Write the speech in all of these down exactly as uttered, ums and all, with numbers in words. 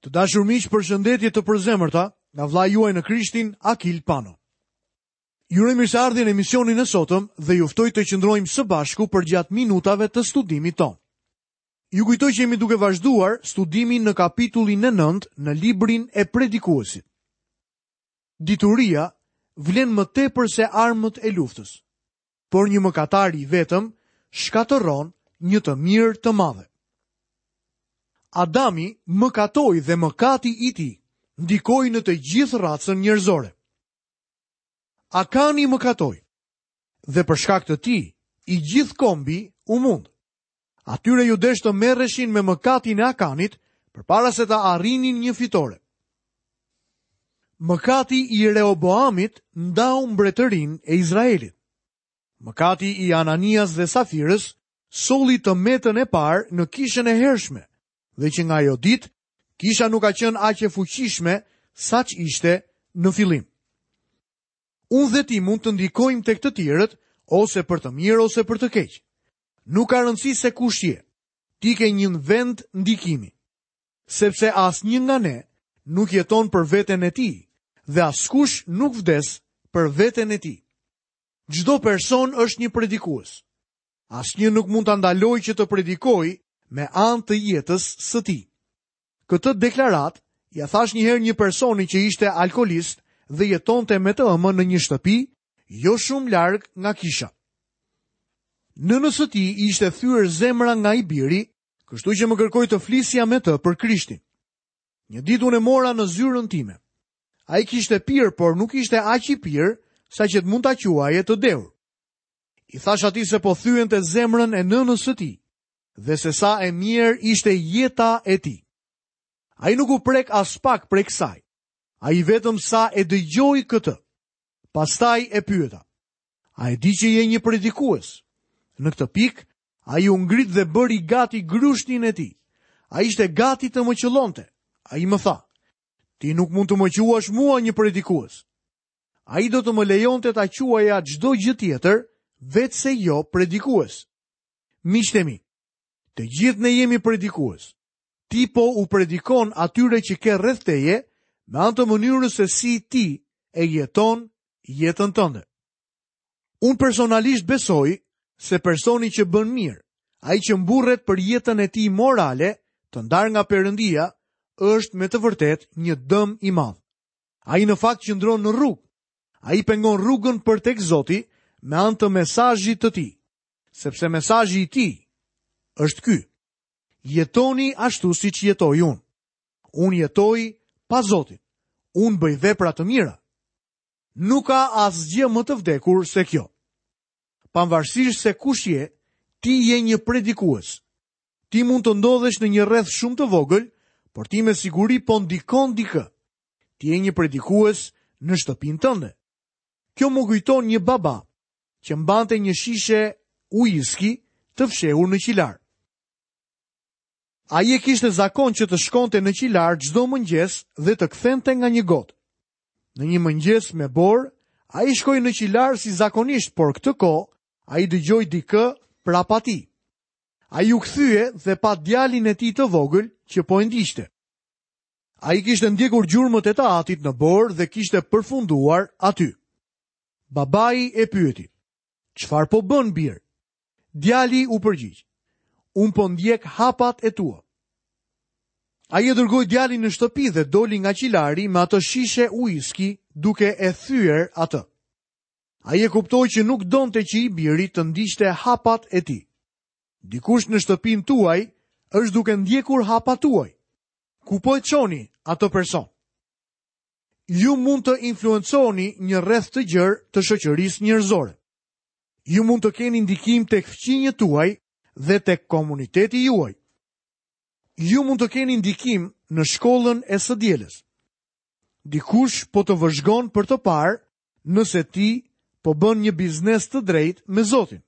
Të dashur miq, përshëndetje të përzemërta nga vëllai juaj në Krishtin, Akil Pano. Ju uroj mirëseardhjen në emisionin e sotëm dhe ju ftoj të qëndrojmë së bashku përgjatë minutave të studimit tonë. Ju kujtoj që jemi duke vazhduar studimin në kapitullin e nëntë në librin e Predikuesit. Dituria vlen më tepër se armët e luftës, por një mëkatar i vetëm shkatërron një të mirë të madhe. Adami mëkatoi dhe mëkati i tij ndikoi në të gjithë racën njerëzore. Akani mëkatoi dhe për shkak të tij i gjithë kombi u mund. Atyre ju desh të merreshin me mëkatin e Akanit përpara se të arrinin një fitore. Mëkati i Rehoboamit ndau mbretërinë e Izraelit. Mëkati i Ananias dhe Safirës solli të metën e parë në kishën e hershme, dhe që nga ajo ditë, kisha nuk ka qenë aq e fuqishme sa ishte në fillim. Unë dhe ti mund të ndikojmë tek të tjerët ose për të mirë ose për të keq. Nuk ka rëndësi se kush je. Ti ke një vend ndikimi. Sepse asnjë nga ne nuk jeton për veten e tij dhe askush nuk vdes për veten e tij. Çdo person është një predikues. Asnjë nuk mund ta ndalojë që të predikojë me anë të jetës së tij. Këtë deklaratë ja thash një herë një personi që ishte alkoolist dhe jetonte me të ëmën në një shtëpi jo shumë larg nga kisha. Nënës së tij ishte thyer zemra nga i biri, kështu që më kërkoi të flisja me të për Krishtin. Një ditë unë e mora në zyrën time. Ai kishte pirë, por nuk ishte aq i pirë sa që të mund ta quaje të dehur. I thash atij se po thyente zemrën e nënës së tij dhe se sa e mirë ishte jeta e tij. Ai nuk u prek as pak prej kësaj. Ai vetëm sa e dëgjoi këtë. Pastaj e pyeta: "A e di që je një predikues?" Në këtë pikë, ai u ngrit dhe bëri gati grushtin e tij. Ai ishte gati të më qëllonte. Ai më tha: "Ti nuk mund të më quash mua një predikues." Ai do të më lejonte ta quaja çdo gjë tjetër, veçse jo predikues. Miqtë e mi, të gjithë ne jemi predikues. Ti po u predikon atyre që ke rreth teje me anë të mënyrës se si ti e jeton jetën tënde. Unë personalisht besoj se personi që bën mirë, ai që mburret për jetën e tij morale, të ndarë nga Perëndia, është me të vërtetë një dëm i madh. Ai në fakt qëndron në rrugë. Ai pengon rrugën për tek Zoti me anë të mesazhit të tij, sepse mesazhi i tij është ky: jetoni ashtu siç jetoj unë. Unë jetoj pa Zotin. Unë bëj vepra të mira. Nuk ka asgjë më të vdekur se kjo. Pavarësisht se kush je, ti je një predikues. Ti mund të ndodhesh në një rreth shumë të vogël, por ti me siguri po ndikon dikë. Ti je një predikues në shtëpinë tënde. Kjo më kujton një baba që mbante një shishe uiski të fshehur në qilar. Ai e kishte zakon që të shkonte në qilar çdo mëngjes dhe të kthente nga një gotë. Në një mëngjes me borë, ai shkoi në qilar si zakonisht, por këtë kohë ai dëgjoi dikë prapa tij. Ai u kthye dhe pa djalin e tij të vogël që po e ndiqte. Ai kishte ndjekur gjurmët e të atit në borë dhe kishte përfunduar aty. Babai e pyeti: "Çfarë po bën, bir?" Djali u përgjigj: "Unë po ndjek hapat e tua." Ai e dërgoi djalin në shtëpi dhe doli nga qilari me atë shishe uiski duke e thyer atë. Ai e kuptoi që nuk donte që i biri të ndiqte hapat e tij. Dikush në shtëpinë tuaj është duke ndjekur hapat tuaj. Ku po e çoni atë person? Ju mund të influenconi një rreth të gjerë të shoqërisë njerëzore. Ju mund të keni ndikim tek fqinjët tuaj dhe tek komuniteti juaj. Ju mund të keni ndikim në shkollën e së dielës. Dikush po të vëzhgon për të parë nëse ti po bën një biznes të drejtë me Zotin.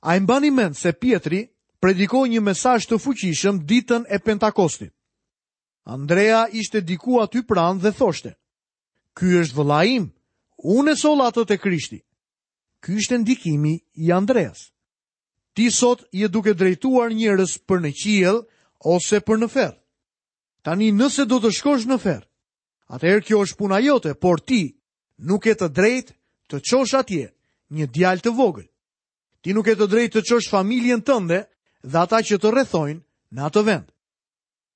A e mbani mend se Pietri predikoi një mesazh të fuqishëm ditën e Pentakostit? Andrea ishte diku aty pranë dhe thoshte: "Ky është vëllai im, unë e solla atë te Krishti." Ky ishte ndikimi i Andreas. Ti sot je duke drejtuar njerëz për në qiell ose për në ferr. Tani nëse do të shkosh në ferr, atëherë kjo është puna jote, por ti nuk ke të drejtë të çosh atje një djalë të vogël. Ti nuk ke të drejtë të çosh familjen tënde dhe ata që të rrethojnë në atë vend.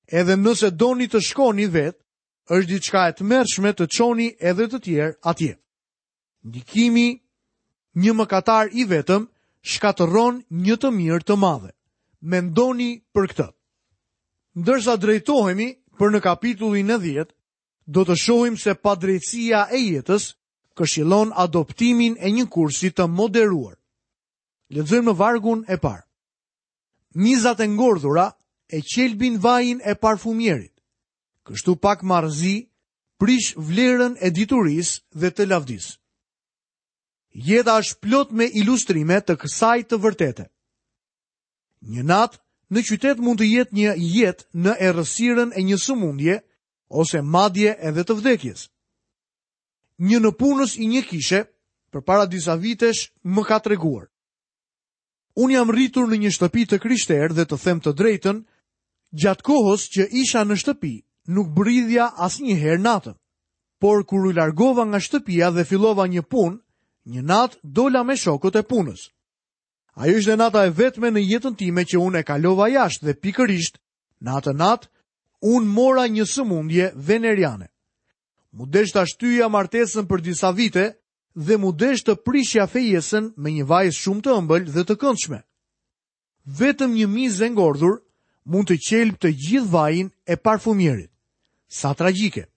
Edhe nëse doni të shkoni vetë, është diçka e tmerrshme të çoni edhe të tjerë atje. Ndikimi një mëkatar i vetëm shkatërron një të mirë të madhe. Mendoni për këtë. Ndërsa drejtohemi për në kapitullin e dhjetë, do të shohim se padrejtësia e jetës këshillon adoptimin e një kursi të moderuar. Lexojmë në vargun e parë. Mizat e ngordhura e qelbin vajin e parfumierit. Kështu pak marrëzi prish vlerën e diturisë dhe të lavdisë. Jeta është plot me ilustrime të kësaj të vërtete. Një natë në qytet mund të jetë një jetë në errësirën e një sëmundje ose madje edhe të vdekjes. Një nëpunës i një kishe përpara disa vitesh më ka treguar. Unë jam rritur në një shtëpi të krishterë dhe të them të drejtën, gjatë kohës që isha në shtëpi, nuk bridhja asnjëherë natën. Por kur u largova nga shtëpia dhe fillova një punë, një natë dola me shokët e punës. Ajo ishte nata e vetme në jetën time që unë e kalova jashtë dhe pikërisht në atë natë unë mora një sëmundje veneriane. Mu desh ta shtyja martesën për disa vite dhe mu desh të prishja fejesën me një vajzë shumë të ëmbël dhe të këndshme. Vetëm një mizë e ngordhur mund të qelb të gjithë vajin e parfumierit. Sa tragjike.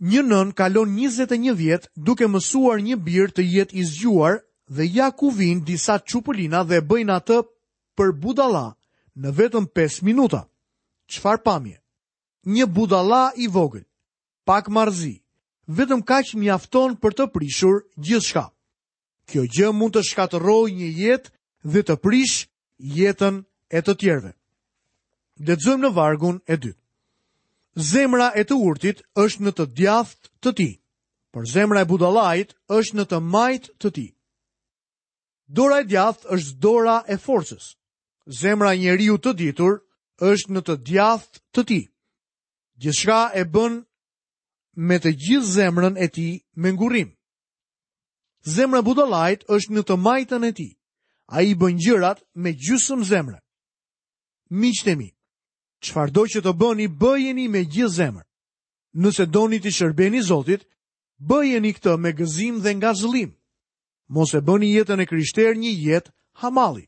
Një nën kalon njëzet e një vjet duke mësuar një bir të jetë i zgjuar dhe ja ku vijnë disa çupëlina dhe bëjnë atë për budalla në vetëm pesë minuta. Çfarë pamje? Një budalla i vogël, pak marrëzi, vetëm kaq mjafton për të prishur gjithçka. Kjo gjë mund të shkatërrojë një jetë dhe të prish jetën e të tjerëve. Lexojmë në vargun e dytë. Zemra e të urtit është në të djathtë të tij, por zemra e budallait është në të majtë të tij. Dora e djathtë është dora e forcës. Zemra e njeriu të ditur është në të djathtë të tij. Gjithçka e bën me të gjithë zemrën e tij me ngurrim. Zemra e budallait është në të majtën e tij. Ai bën gjërat me gjysmë zemre. Miqtë e mi, çfarëdo që të bëni, bëjeni me gjithë zemër. Nëse doni t'i shërbeni Zotit, bëjeni këtë me gëzim dhe ngazëllim. Mos e bëni jetën e krishterë një jetë hamalli.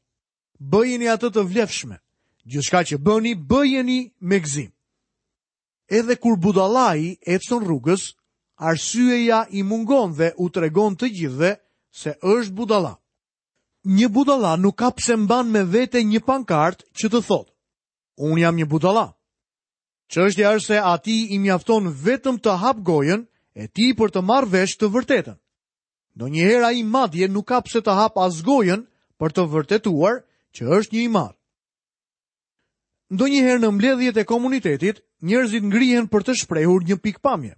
Bëjeni atë të vlefshme. Gjithçka që bëni, bëjeni me gëzim. Edhe kur budallai ecën rrugës, arsyeja i mungon dhe u tregon të gjithëve se është budalla. Një budalla nuk ka pse mban me vete një pankart që të thotë: Unë jam një budalla. Çështja është se atij i mjafton vetëm të hap gojën e tij për të marrë vesh të vërtetën. Ndonjëherë ai madje nuk ka pse të hap as gojën për të vërtetuar që është një i marrë. Ndonjëherë në mbledhjet e komunitetit, njerëzit ngrihen për të shprehur një pikpamje.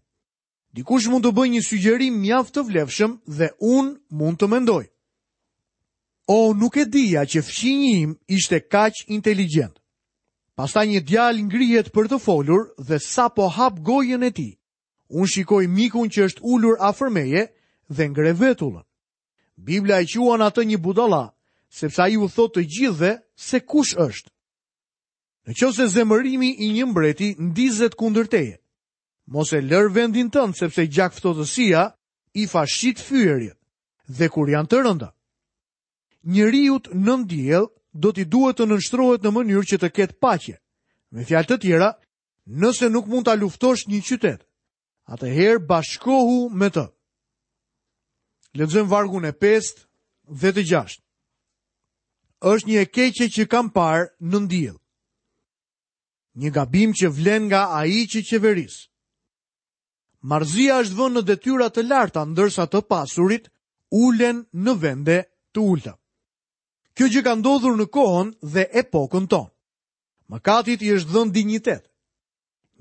Dikush mund të bëjë një sugjerim mjaft të vlefshëm dhe unë mund të mendoj: O, nuk e dija që fqinji im ishte kaq inteligjent. Pastaj një djalë ngrihet për të folur dhe sapo hap gojën e tij, unë shikoj mikun që është ulur afër meje dhe ngre vetullën. Bibla e quan atë një budalla, sepse ai u thotë të gjithëve se kush është. Në qoftë se zemërimi i një mbreti ndizet kundër teje, mos e lër vendin tënd, sepse gjakftohtësia i fashit fyerjet, dhe kur janë të rënda. Njeriut nën diell do t'i duhet të nënshtrohet në mënyrë që të ketë paqe. Me fjalë të tjera, nëse nuk mund ta luftosh një qytet, atëherë bashkohu me të. Lexojmë vargun e pestë dhe të gjashtë. Është një e keqe që kam parë nën diell. Një gabim që vlen nga ai që qeveris. Marrëzia është vënë në detyra të larta, ndërsa të pasurit ulen në vende të ulta. Kjo gjë ka ndodhur në kohën dhe epokën tonë. Mëkatit i është dhënë dinjitet.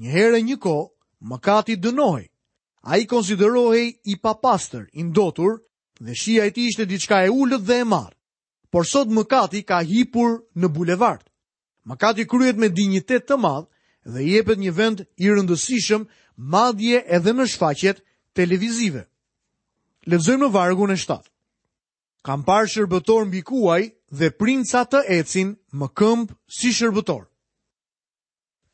Një herë e një kohë, mëkati dënohej. Ai konsiderohej i papastër, i ndotur, dhe shija e tij ishte diçka e ulët dhe e marrë. Por sot mëkati ka hipur në bulevard. Mëkati kryhet me dinjitet të madh dhe i jepet një vend i rëndësishëm, madje edhe në shfaqjet televizive. Lexojmë në vargun e shtatë. Kam parë shërbëtor mbi kuaj dhe princa të ecin më këmbë si shërbëtor.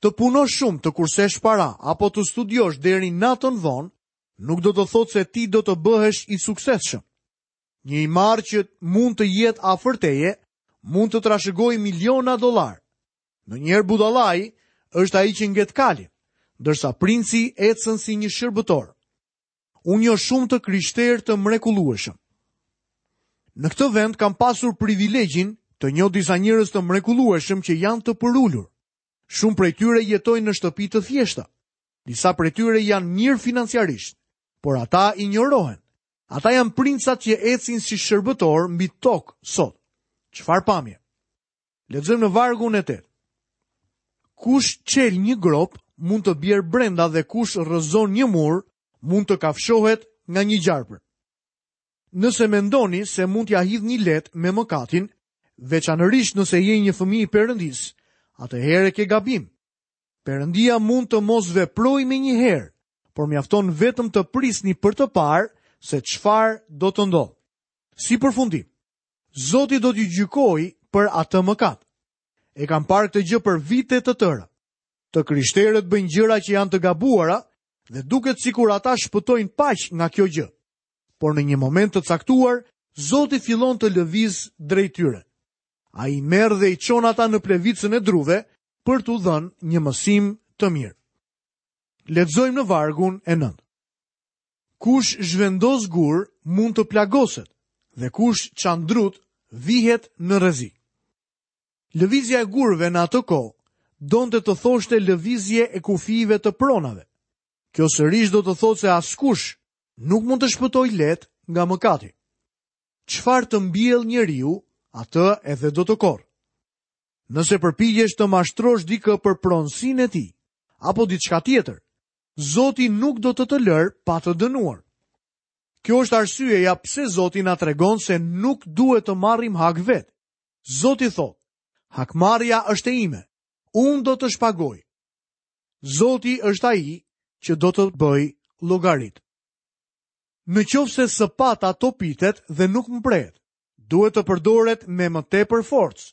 Të punosh shumë, të kursesh para apo të studiosh deri natën vonë, nuk do të thotë se ti do të bëhesh i suksesshëm. Një i marrë që mund të jetë afër teje, mund të trashëgojë miliona dollar. Ndonjëherë budallai është ai që ngjet kalin, ndërsa princi ecën si një shërbëtor. Unë njoh shumë të krishterë të mrekullueshëm. Në këtë vend kam pasur privilegjin të njoh disa njerëz të mrekullueshëm që janë të përulur. Shumë prej tyre jetojnë në shtëpi të thjeshta. Disa prej tyre janë mirë financiarisht, por ata injorohen. Ata janë princat që ecin si shërbëtor mbi tokë sot. Çfarë pamje? Lexojmë në vargun e tetë. Kush çel një grop mund të bjerë brenda dhe kush rrëzon një mur mund të kafshohet nga një gjarpër. Nëse mendoni se mund t'ja hidhni lehtë me mëkatin, veçanërisht nëse je një fëmijë i Perëndisë, atëherë ke gabim. Perëndia mund të mos veprojë menjëherë, por mjafton vetëm të prisni për të parë se çfarë do të ndodhë. Si përfundim, Zoti do t'ju gjykojë për atë mëkat. E kam parë këtë gjë për vite të tëra. Të krishterët bëjnë gjëra që janë të gabuara dhe duket sikur ata shpëtojnë paq nga kjo gjë. Por në një moment të caktuar, Zoti fillon të lëvizë drejt tyre. Ai merr dhe i çon ata në plevicën e druve për t'u dhënë një mësim të mirë. Lexojmë në vargun e nëntë. Kush zhvendos gur mund të plagoset dhe kush çan drut vihet në rrezik. Lëvizja e gurëve në atë kohë donte të thoshte lëvizje e kufijve të pronave. Kjo sërish do të thotë se askush nuk mund të shpëtojë lehtë nga mëkati. Çfarë të mbjell njeriu, atë edhe do të korrë. Nëse përpiqesh të mashtrosh dikë për pronësinë e tij apo diçka tjetër, Zoti nuk do të të lërë pa të dënuar. Kjo është arsyeja pse Zoti na tregon se nuk duhet të marrim hak vet. Zoti thotë, hakmarrja është e ime, unë do të shpagoj. Zoti është ai që do të bëj llogarit. Në qoftë se sëpata topitet dhe nuk mprehet, duhet të përdoret me më tepër forcë,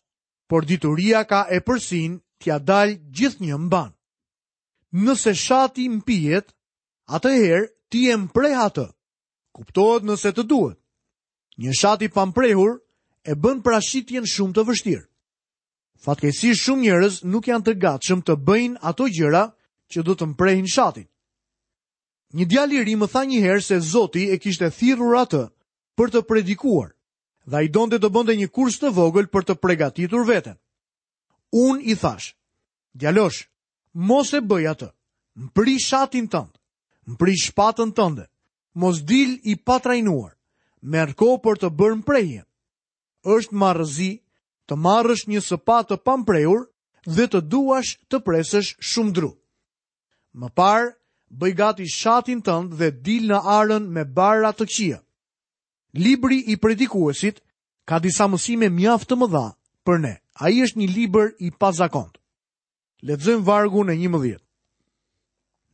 por dituria ka epërsinë t'ia dalë gjithnjë mban. Nëse shati mpihet, atëherë ti e mpreh atë. Kuptohet nëse të duhet. Një shat i pamprehur e bën prashitjen shumë të vështirë. Fatkeqësisht shumë njerëz nuk janë të gatshëm të bëjnë ato gjëra që do të mprehin shatin. Një djalë i ri më tha një herë se Zoti e kishte thirrur atë për të predikuar dhe ai donte të bënte një kurs të vogël për të përgatitur veten. Unë i thash, djalosh, mos e bëj atë. Mpri shatin tënd, mpri shpatën tënde. Mos dil i patrajnuar. Merr kohë për të bërë mprehjen. Është marrëzi të marrësh një sëpatë të pamprehur dhe të duash të presësh shumë dru. Më parë, bëj gati shatin tënd dhe dil në arën me barra të këqija. Libri i predikuesit ka disa mësime mjaft të mëdha për ne. Ai është një libër i pazakont. Lexojmë vargun e njëmbëdhjetë.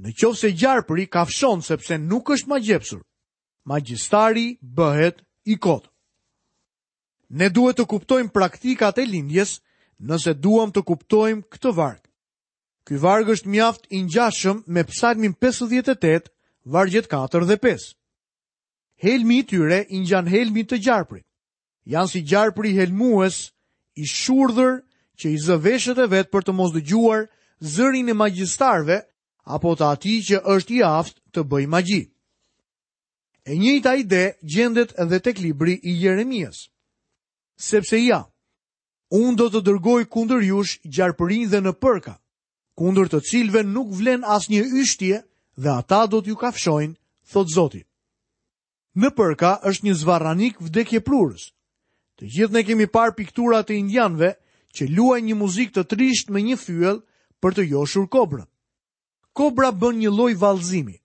Në qoftë se gjarpri kafshon sepse nuk është magjepsur, magjistari bëhet i kot. Ne duhet të kuptojmë praktikat e lindjes nëse duam të kuptojmë këtë varg. Ky varg është mjaft i ngjashëm me Psalmin pesëdhjetë e tetë, vargjet katër dhe pesë. Helmi i tyre i ngjan helmit të gjarprit. Janë si gjarpri helmues i shurdhër që i zë veshët e vet për të mos dëgjuar zërin e magjistarëve apo të atij që është i aftë të bëjë magji. E njëjta ide gjendet edhe tek libri i Jeremias. Sepse ja, unë do të dërgoj kundër jush gjarpërinj dhe në përka, kundër të cilëve nuk vlen asnjë yshtje dhe ata do t'ju kafshojnë, thot Zoti. Në përka është një zvarranik vdekjeprurës. Të gjithë ne kemi parë piktura të indianëve që luajnë një muzikë të trishtë me një fyell për të joshur kobrën. Kobra bën një lloj vallëzimi.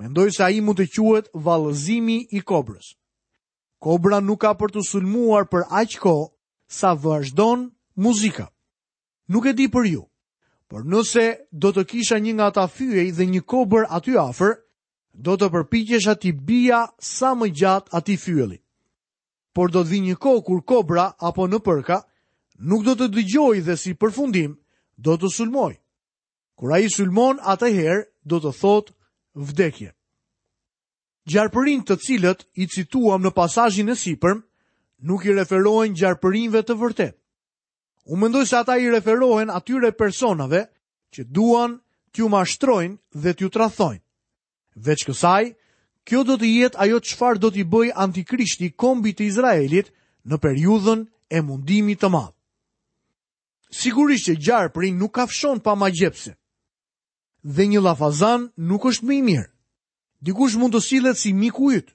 Mendoj se ai mund të quhet vallëzimi i kobrës. Kobra nuk ka për të sulmuar për aq kohë sa vazhdon muzika. Nuk e di për ju, Por nëse do të kisha një nga ata fyej dhe një kobër aty afër, do të përpiqesha t'i bija sa më gjatë atij fyelli. Por do të vi një kohë kur kobra apo nëpërka nuk do të dëgjojë dhe si përfundim do të sulmojë. Kur ai sulmon, atëherë do të thotë vdekje. Gjarpërinjtë të cilët i cituam në pasazhin e sipërm nuk i referohen gjarpërinjve të vërtetë. Unë mendoj se ata i referohen atyre personave që duan t'ju mashtrojnë dhe t'ju tradhtojnë. Veç kësaj, kjo do të jetë ajo çfarë do t'i bëjë Antikrishti kombit të Izraelit në periudhën e mundimit të madh. Sigurisht që gjarpri nuk kafshon pa magjepse. Dhe një llafazan nuk është më i mirë. Dikush mund të sillet si miku yt,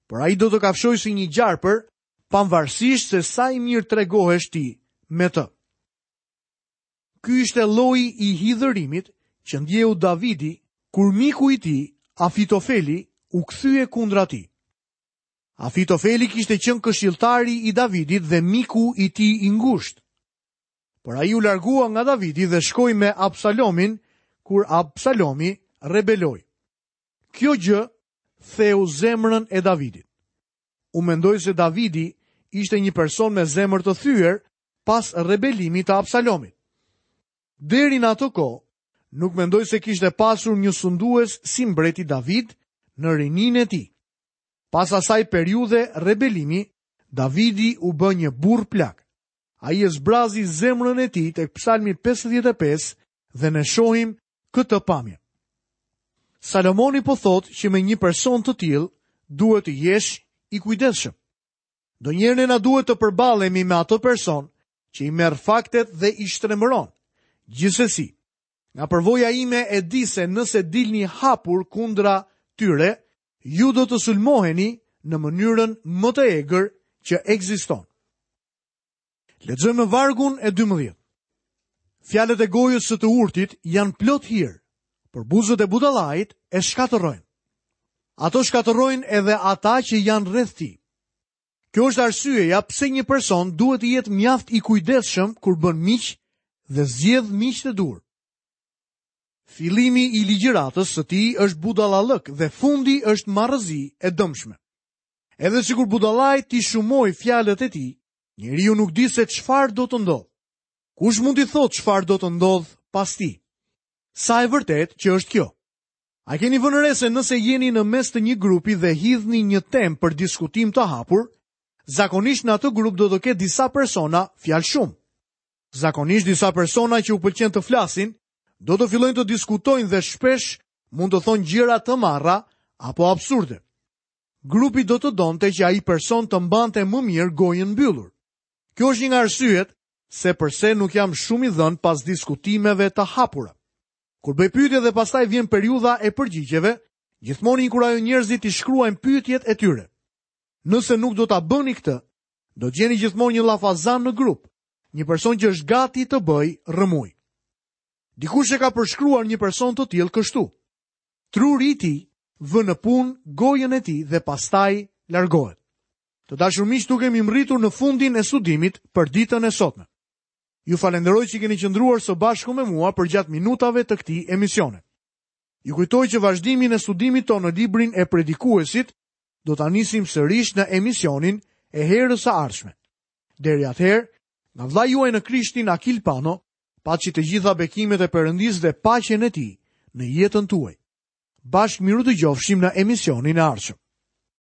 por ai do të kafshojë si një gjarpër, pavarësisht se sa i mirë tregohesh ti me të. Ky ishte lloji i hidhërimit që ndjeu Davidi kur miku i tij, Afitofeli, u kthye kundra tij. Afitofeli kishte qenë këshilltari i Davidit dhe miku i tij i ngushtë. Por ai u largua nga Davidi dhe shkoi me Absalomin kur Absalomi rebeloi. Kjo gjë theu zemrën e Davidit. Unë mendoj se Davidi ishte një person me zemër të thyer pas rebelimit të Absalomit. Deri në atë kohë, nuk mendoj se kishte pasur një sundues si mbreti David në rininë e tij. Pas asaj periudhe rebelimi, Davidi u bë një burr plak. Ai e zbrazi zemrën e tij tek Psalmi pesëdhjetë e pesë dhe ne shohim këtë pamje. Salomoni po thotë që me një person të tillë duhet të jesh i kujdesshëm. Ndonjëherë ne na duhet të përballemi me atë person që i merr faktet dhe i shtrembëron. Gjithsesi, nga përvoja ime e di se nëse dilni hapur kundra tyre, ju do të sulmoheni në mënyrën më të egër që ekziston. Lexojmë në vargun e dymbëdhjetë. Fjalët e gojës së të urtit janë plot hir, por buzët e budallait e shkatërrojnë. Ato shkatërrojnë edhe ata që janë rreth tij. Kjo është arsyeja pse një person duhet të jetë mjaft i kujdesshëm kur bën miq dhe zgjedh miq të dur. Fillimi i ligjëratës së tij është budallallëk dhe fundi është marrëzi e dëmshme. Edhe sikur budallai t'i shumoj fjalët e tij, njeriu nuk di se çfarë do të ndodhë. Kush mund t'i thotë çfarë do të ndodhë pas tij? Sa e vërtetë që është kjo? A keni vënë re se nëse jeni në mes të një grupi dhe hidhni një temë për diskutim të hapur, zakonisht në atë grup do të ketë disa persona fjalë shumë. Zakonisht disa persona që u pëlqen të flasin, do të fillojnë të diskutojnë dhe shpesh mund të thonë gjëra të marra apo absurde. Grupi do të donte që ai person të mbante më mirë gojën mbyllur. Kjo është një nga arsyet se përse nuk jam shumë i dhënë pas diskutimeve të hapura. Kur bëj pyetje dhe pastaj vjen periudha e përgjigjeve, gjithmonë inkurajoj njerëzit të shkruajnë pyetjet e tyre. Nëse nuk do ta bëni këtë, do të gjeni gjithmonë një llafazan në grup, një person që është gati të bëjë rrëmujë. Dikush e ka përshkruar një person të tillë kështu. Truri i tij vë në punë gojën e tij dhe pastaj largohet. Të dashur miq, tu kemi mbërritur në fundin e studimit për ditën e sotme. Ju falenderoj që keni qëndruar së bashku me mua përgjatë minutave të këtij emisioni. Ju kujtoj që vazhdimin e studimit tonë në librin e predikuesit do ta nisim sërish në emisionin e herës së ardhshme. Deri atëherë, nga vëllai juaj në Krishtin Akil Pano, paçi të gjitha bekimet e Perëndisë dhe paqen e tij në jetën tuaj. Bashkë miru dëgjofshim në emisionin e ardhshëm.